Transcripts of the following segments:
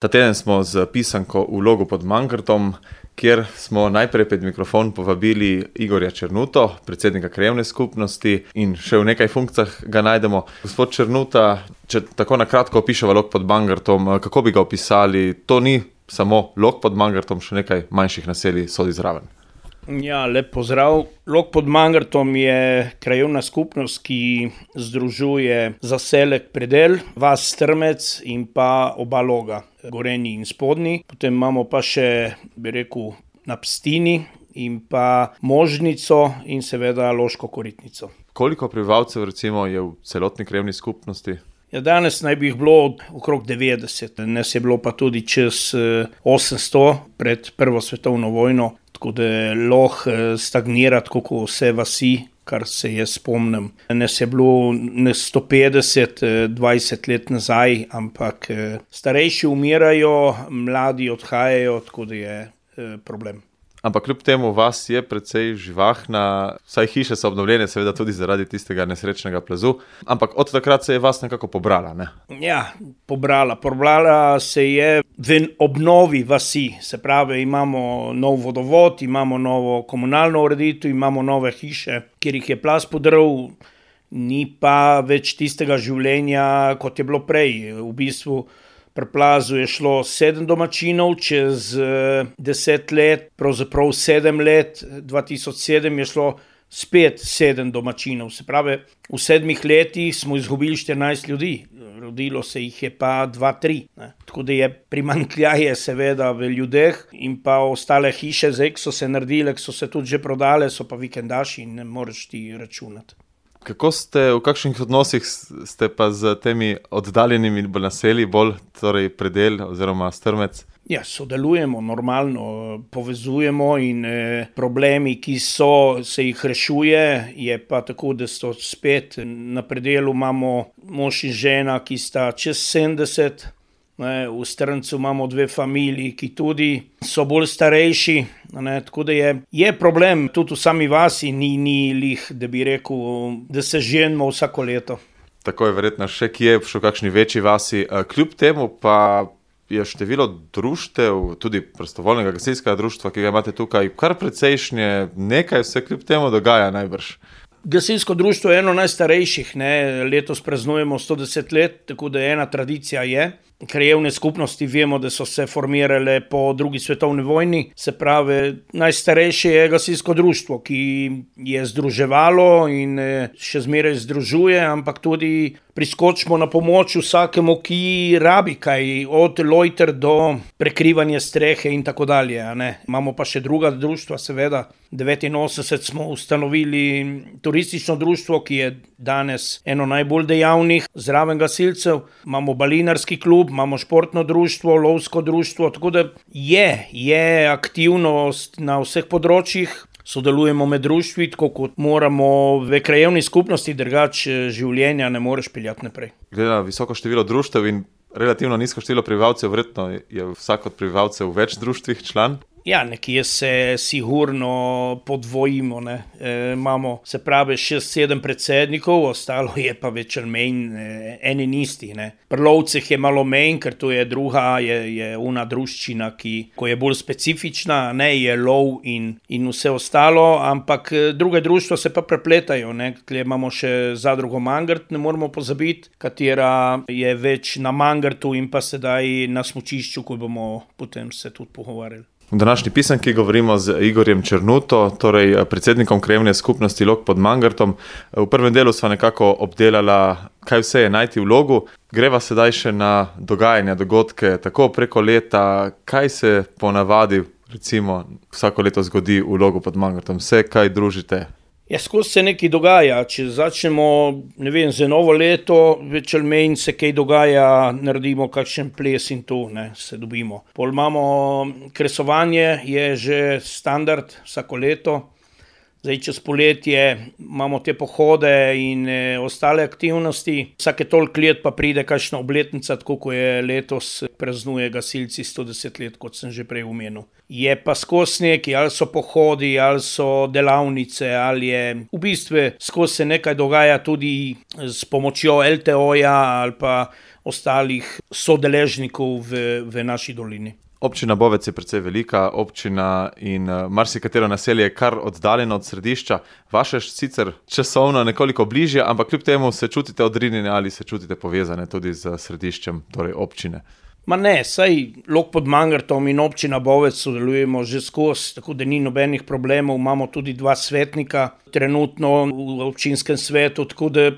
Ta teden smo z pisanko v Logu pod Mangartom, kjer smo najprej pred mikrofon povabili Igorja Černuto, predsednika krajevne skupnosti, in še v nekaj funkcijah ga najdemo. Gospod Černuta, če tako na kratko opiševa Log pod Mangartom, kako bi ga opisali? To ni samo Log pod Mangartom, še nekaj manjših naselij sodi zraven. Ja, lep pozdrav. Log pod Mangartom je krajevna skupnost, ki združuje zaselek Predel, vas Strmec in pa oba loga, Gorenji in Spodnji. Potem imamo pa še, bi rekel, na Pstini in pa Možnico in seveda Loško Koritnico. Koliko prebivalcev recimo je v celotni krajevni skupnosti? Ja, danes naj bi jih bilo okrog 90, nas je bilo pa tudi čez 800 pred Prvo svetovno vojno, tako da Log stagnira, tako kot vse vasi, kar se jaz spomnim. Nas je bilo 150, 20 let nazaj, ampak starejši umirajo, mladi odhajajo, tako da je problem. Ampak kljub temu vas je precej živahna, vsaj hiše so obnovljene, seveda tudi zaradi tistega nesrečnega plazu, ampak od takrat se je vas nekako pobrala, ne? Ja, pobrala se je v obnovi vasi, se pravi, imamo nov vodovod, imamo novo komunalno ureditev, imamo nove hiše, kjer jih je plaz podrl, ni pa več tistega življenja, kot je bilo prej. V bistvu pri plazu je šlo 7 domačinov, čez 10 let, pravzaprav 7 let, 2007 je šlo spet 7 domačinov. Se pravi, v 7 letih smo izgubili 14 ljudi, rodilo se jih je pa 2-3. Tako da je primanjkljaje seveda v ljudeh in pa ostale hiše, zdaj so se naredile, so se tudi že prodale, so pa vikendaši in ne moreš ti računati. Kako v kakšnih odnosih ste pa z temi oddaljenimi naselji, bolj torej Predel oziroma Strmec? Ja, sodelujemo normalno, povezujemo in problemi, ki so, se jih rešuje, je pa tako, da so spet na Predelu imamo mož in žena, ki sta čez 70, v Strmcu imamo 2 familiji, ki tudi so bolj starejši, tako da je problem tudi v sami vasi, ni lih, da bi rekel, da se ženimo vsako leto. Tako je verjetno še kje, še v kakšni večji vasi. Kljub temu pa je število društev, tudi prostovoljnega gasilskega društva, ki ga imate tukaj, kar precejšnje, nekaj se kljub temu dogaja najbrž. Gasilsko društvo je eno najstarejših, letos praznujemo 110 let, tako da ena tradicija je. Krajevne skupnosti vemo, da so se formirale po drugi svetovni vojni, se pravi, najstarejše je gasilsko društvo, ki je združevalo in še zmeraj združuje, ampak tudi priskočimo na pomoč vsakemu, ki rabi kaj, od lojter do prekrivanja strehe in tako dalje. Imamo pa še druga društva, seveda. 1989 smo ustanovili turistično društvo, ki je danes eno najbolj dejavnih zraven gasilcev. Imamo balinarski klub, imamo športno društvo, lovsko društvo, tako da je aktivnost na vseh področjih. Sodelujemo med društvi, tako kot moramo v krajevni skupnosti, drugače življenja ne moreš peljati naprej. Glede na visoko število društev in relativno nizko število prebivalcev, verjetno je vsak od prebivalcev v več društvih član? Ja, nekje se sigurno podvojimo, imamo, se pravi, 6-7 predsednikov, ostalo je pa več ali manj eni in isti, Pri lovcih je malo manj, ker to je druga, je una druščina, ko je bolj specifična, je lov in vse ostalo, ampak druge društva se pa prepletajo, Tukaj imamo še zadrugo Mangart, ne moramo pozabiti, katera je več na Mangartu in pa sedaj na smučišču, ko bomo potem se tudi pogovarjali. V današnji pisanki govorimo z Igorjem Černuto, torej predsednikom krajevne skupnosti Log pod Mangartom. V prvem delu sva nekako obdelala, kaj vse je najti v Logu. Greva sedaj še na dogajanja, dogodke, tako preko leta, kaj se ponavadi recimo vsako leto zgodi v Logu pod Mangartom, vse kaj družite? Ja, skozi se nekaj dogaja, če začnemo, za novo leto, več ali manj se kaj dogaja, naredimo kakšen ples in to, se dobimo. Pol imamo kresovanje, je že standard vsako leto. Zdaj, čez poletje imamo te pohode in ostale aktivnosti. Vsake toliko let pa pride kakšna obletnica, tako kot je letos, praznuje gasilci 110 let, kot sem že prej omenil. Je pa skozi nekaj, ali so pohodi, ali so delavnice, ali je v bistvu skozi se nekaj dogaja tudi s pomočjo LTO-ja ali pa ostalih sodeležnikov v naši dolini. Občina Bovec je precej velika občina in marsikatero naselje je kar oddaljeno od središča. Vaše sicer časovno nekoliko bližje, ampak kljub temu se čutite odrinjene ali se čutite povezane tudi z središčem, torej občine? Ma ne, saj Log pod Mangartom in občina Bovec sodelujemo že skozi, tako da ni nobenih problemov. Imamo tudi 2 svetnika trenutno v občinskem svetu, tako da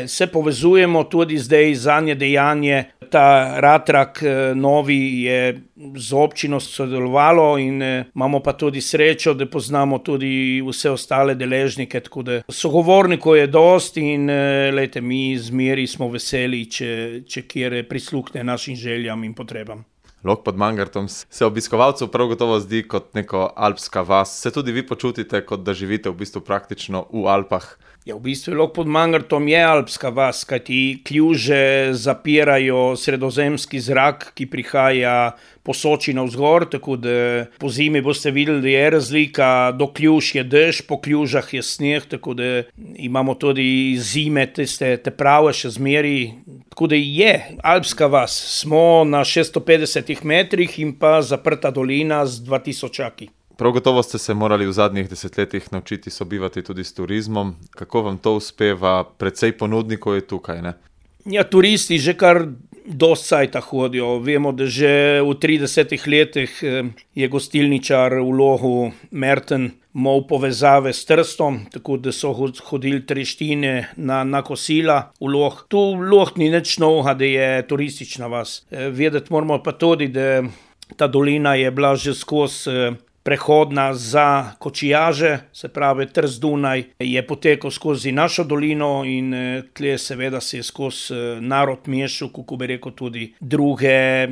se povezujemo tudi zdaj zadnje dejanje. Ta ratrak novi je z občino sodelovalo in imamo pa tudi srečo, da poznamo tudi vse ostale deležnike, tako da sogovornikov je dost in lejte, mi zmeri smo veseli, če kjer prisluhne našim željam in potrebam. Log pod Mangartom se obiskovalcu prav gotovo zdi kot neko alpska vas. Se tudi vi počutite, kot da živite v bistvu praktično v Alpah? Ja, v bistvu Log pod Mangartom je alpska vas, kajti kljuže zapirajo sredozemski zrak, ki prihaja po Soči navzgor, tako da po zimi boste videli, da je razlika, do kljuž je dež, po kljužah je sneg, tako da imamo tudi zime, te prave še zmeri. Tako da je alpska vas, smo na 650 metrih in pa zaprta dolina z 2000. Prav gotovo ste se morali v zadnjih desetletjih naučiti sobivati tudi s turizmom. Kako vam to uspeva? Precej ponudnikov je tukaj, ne? Ja, turisti že kar dost cajta hodijo. Vemo, da že v 30 letih je gostilničar v Logu Merten imel povezave s Trstom, tako da so hodili treštine na kosila v Log. Tu Log ni nič novega, da je turistična vas. Vedeti moramo pa tudi, da ta dolina je bila že skozi prehodna za kočijaže, se pravi Trst Dunaj je potekal skozi našo dolino in tle seveda se je skozi narod mešal, kako bi rekel, tudi druge,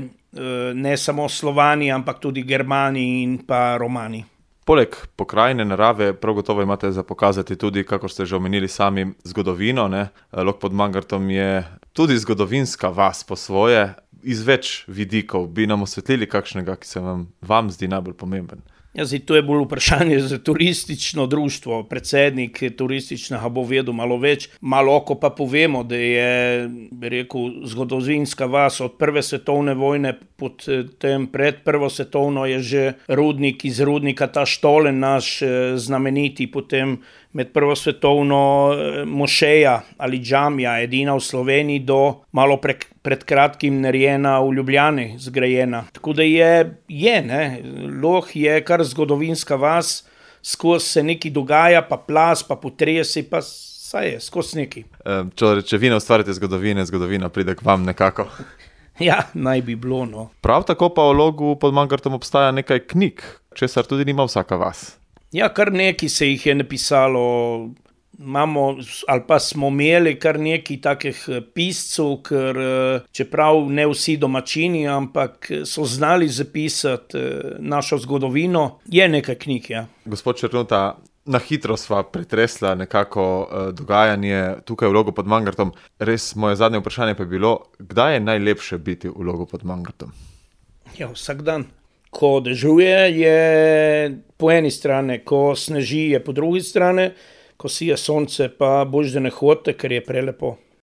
ne samo Slovani, ampak tudi Germani in pa Romani. Poleg pokrajine narave prav gotovo imate za pokazati tudi, kako ste že omenili sami, zgodovino, ne? Log pod Mangartom je tudi zgodovinska vas po svoje, iz več vidikov. Bi nam osvetlili kakšnega, ki se vam zdi najbolj pomemben? Ja, zdaj, to je bolj vprašanje za turistično društvo. Predsednik turističnega bo vedel malo več. Malo pa povemo, da je, bi rekel, zgodovinska vas od prve svetovne vojne, potem pred prvo svetovno je že rudnik iz rudnika ta Štolen naš znameniti, potem med prvo svetovno mošeja ali džamija, edina v Sloveniji, do malo pred kratkim narejena v Ljubljani, zgrajena. Tako da je, ne, Log je kar zgodovinska vas, skozi se nekaj dogaja, pa plas, pa potresi, pa saj je, skozi nekaj. Če vi ne ustvarite zgodovine, zgodovina pride k vam nekako. Ja, naj bi bilo, no. Prav tako pa v Logu pod Mangartom obstaja nekaj knjig, česar tudi nima vsaka vas. Ja, kar nekaj se jih je napisalo, imamo ali pa smo imeli kar nekaj takih piscev, ker čeprav ne vsi domačini, ampak so znali zapisati našo zgodovino, je nekaj knjig, ja. Gospod Černuta, na hitro sva pretresla nekako dogajanje tukaj v Logu pod Mangartom. Res, moje zadnje vprašanje pa je bilo, kdaj je najlepše biti v Logu pod Mangartom? Ja, vsak dan. Ko dežuje je po eni strani, ko sneži je po drugi strani, ko sije sonce pa boš da ne hodite, ker je prelepo.